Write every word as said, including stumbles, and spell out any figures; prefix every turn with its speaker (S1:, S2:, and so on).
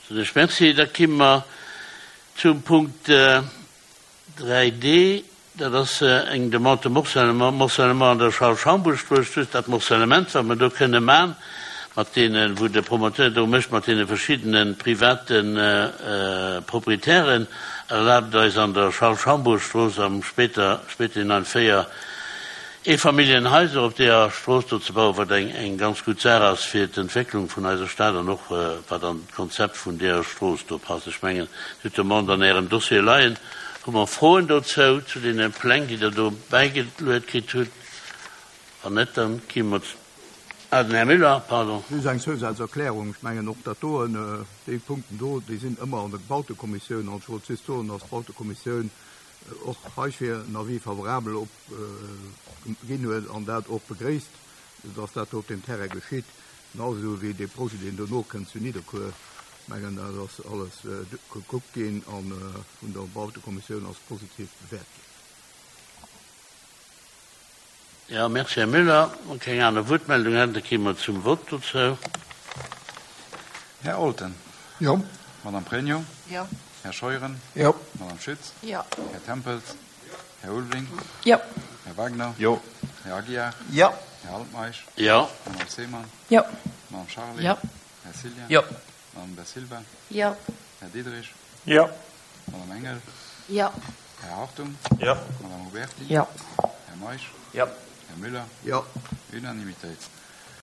S1: Soen ech Merci. Da ki mer zum Punkt dräi D. Dat ass eng Demande de morcellement, Morcellement an der Charles-Schambourg-Strooss, just dat Morcellement, wat mer do kënne man, mat deenen, wou de Promoteur do mécht, mat deene verschiddene private Proprietären, erlaabt eis an der Charles-Schambourg-Strooss am Spéter, spéiterhin véier Eefamilljenhaiser op deeër Strooss do ze bauen, wat eng eng ganz gutt Saach ass fir d'Entwécklung vun eiser Stad an och wat an d'Konzept vun deeër Strooss do passt. Ech mengen, Dir hutt d'Demande an Ärem Dossier leien. Hu mer Froen dozou, zu deene Pläng, déi Der do bäigeluet kritt hutt? Wann net, da gi mer, ah, den Här Müller, pardon.
S2: Just eng Zousazerklärung. Ech mengen och dat doen, déi Punkten do, déi sinn ëmmer an der Bautekommissioun. An ech wollt just soen, dass d'Bautekommissioun och heifir en Avis favorabel op ginn huet an dat och begréisst, dass dat do op deem Terrain geschitt, genau esou wéi dee Projet, deen dono kënnt zu Nidderkuer. Ech mengen, dat ass alles gekuckt ginn a vun der Bautekommissioun als positiv bewäert ginn.
S1: Jo, merci, Här Müller. Wa keng aner Wuertmeldung hätten, da kéime mer zum Vott dozou.
S3: Här Olten.
S4: Jo.
S3: Madame Pregno.
S5: Jo.
S3: Här Scheuren.
S4: Jo.
S3: Madame Schütz.
S5: Jo.
S3: Här Tempels. Här Ulveling.
S5: Jo.
S3: Här Wagner.
S4: Jo.
S3: Här Aguiar.
S4: Jo.
S3: Här Altmeisch.
S1: Jo.
S3: Madame Seemann.
S5: Jo.
S3: Madame Charlé.
S5: Jo.
S3: Här Cillien.
S4: Jo.
S3: Madame Da Silva.
S5: Jo.
S3: Här Diderich.
S4: Jo.
S3: Madame Engel.
S5: Jo.
S3: Här Hartung.
S4: Jo.
S3: Madame Huberti.
S5: Jo.
S3: Här Meisch.
S4: Jo.
S3: Här Müller.
S2: Jo.
S3: Unanimitéit.